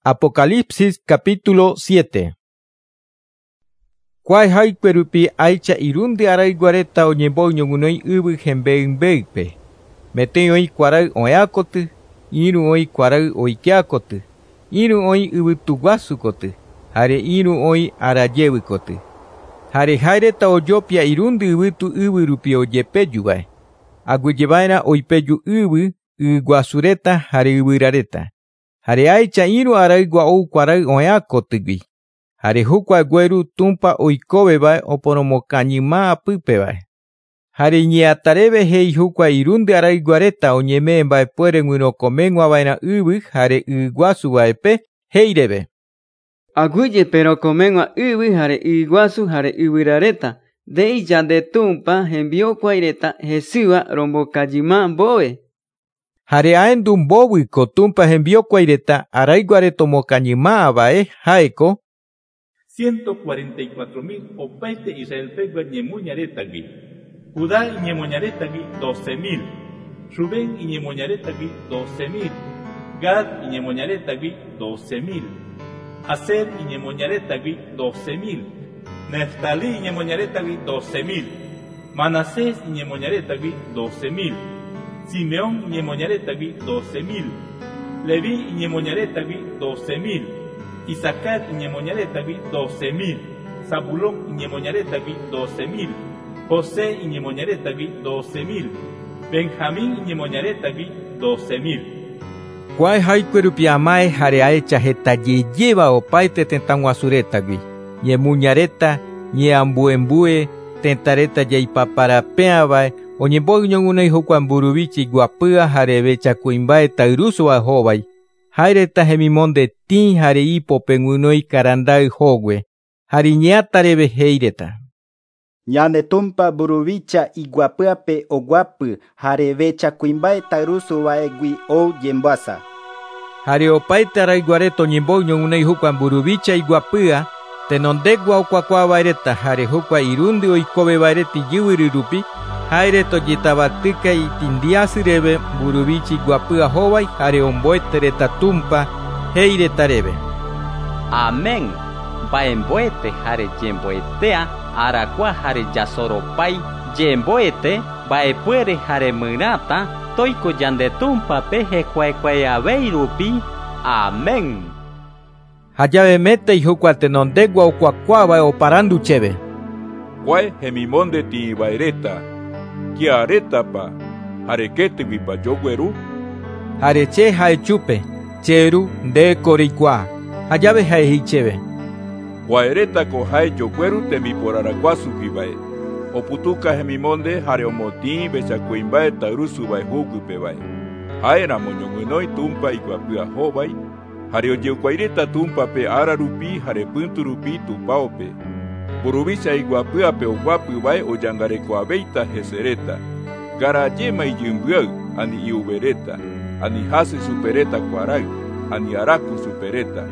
Apocalipsis capítulo 7. Kuae haykue rupi ahecha irundy arayguareta oñembo'y ñoguinoi yvy hembe'ymbe'ýpe. Metei oĩ kuaray oĩakoty, ĩru oĩ kuaray oikeakoty, ĩru oĩ yvytuguasukoty, jare ĩru oĩ arajevykoty. Jare jaereta ojopia irundy yvytu yvy rupi ojepejúvae. Aguyjeva'erã oipeju yvy, yguasureta jare yvyrareta. Jare ahecha ĩru araygua ou kuaray oĩakotýgui. Jare jukua gueru Tumpa oikovévae oporomokañyma apypevae. Jare iñe'ãtareve he'i jukua irundy arayguareta oñeme'ẽ mba'epuere guyrokomeg̃uava'erã yvy jare yguasuvaepe he'ireve. Aguyjepe rokomeg̃ua yvy jare yguasu jare yvyrareta nde'i yande Tumpa hembiokuaireta hesýva rombokajyma mbove. Jare ahendu mbovyko Tumpa hembiokuaireta arayguareta omokañymáva'e ha'éko 144.000 opaite Israelpegua ñemoñaretagui. Judá iñemoñaretagui 12.000. Rubén iñemoñaretagui 12.000. Gad iñemoñaretagui 12.000. Aser iñemoñaretagui 12.000. Neftalí iñemoñaretagui 12.000. Manasés iñemoñaretagui 12.000. Simeón iñemoñaretagui 12.000. Leví iñemoñaretagui 12.000. Isacar iñemoñaretagui 12.000. Zabulón iñemoñaretagui 12.000. José iñemoñaretagui 12.000. Benjamín iñemoñaretagui 12.000. Kuae haykue rupi ama'ẽ jare ahecha hetajeyéva opaite tetãguasuretagui. Ñemuñareta, ñeambuembue, tetãreta jaipaparape'ãvae oñembo'y ñoguinoi jokua mburuvicha iguapýva jare vechakuimba'e tayrusúva hóvai. Jaereta hemimonde tĩ jare ipope guinoi karanda'y hogue. Jare iñe'ãtareve he'ireta. Ñane Tumpa mburuvicha iguapýape oguapy jare vechakuimba'e tayrusuva'egui ou yemboasa. Jare opaite arayguareta oñembo'y ñoguinoi jokua mburuvicha iguapýa tenondegua okuakuaava'ereta jare jokua irundy oikoveva'ereta ijyvyry rupi jaereta ojetavatýka itindiasyreve mburuvicha iguapýa hóvai jare omboetereta Tumpa he'iretareve. Amén. Mba'emboete jare yemboetea arakua jare jasoropái yemboete mba'epuere jare myrãta toiko yande Tumpape hekuaekuaeavei rupi. Amén. Jajavemete jokua tenondegua okuakuaavae oparandu chéve. Kuae hemimonde tĩva'ereta kiaretapa jarekétyguipa jogueru. Jare che ha'e chupe, che ru ndéko reikuaa. Jajave ha'e he'i chéve. Kuaeretako ha'e jogueru tembiporarakuasuguivae. Oputuka hemimonde jare omotĩ vechakuimba'e tayrusúvae huguypevae. Ha'éramo ñoguinoi Tumpa iguapýa hóvai jare ojekuaireta Tumpape ára rupi jare pyntu rupi tupãope. Mburuvicha iguapýape oguapyvae ojangarekoaveita hesereta. Garajéma ijymbyay ani i'uvereta, ani hasy supereta kuaray, ani araku supereta.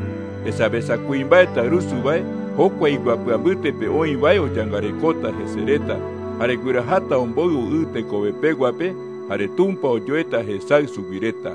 Esavesakuimba'e tayrusúvae jokua iguapyambytépe oĩvae ojangarekóta hesereta, jare guyraháta omboy'u y tekovepeguape jare Tumpa ojoéta hesay suguireta.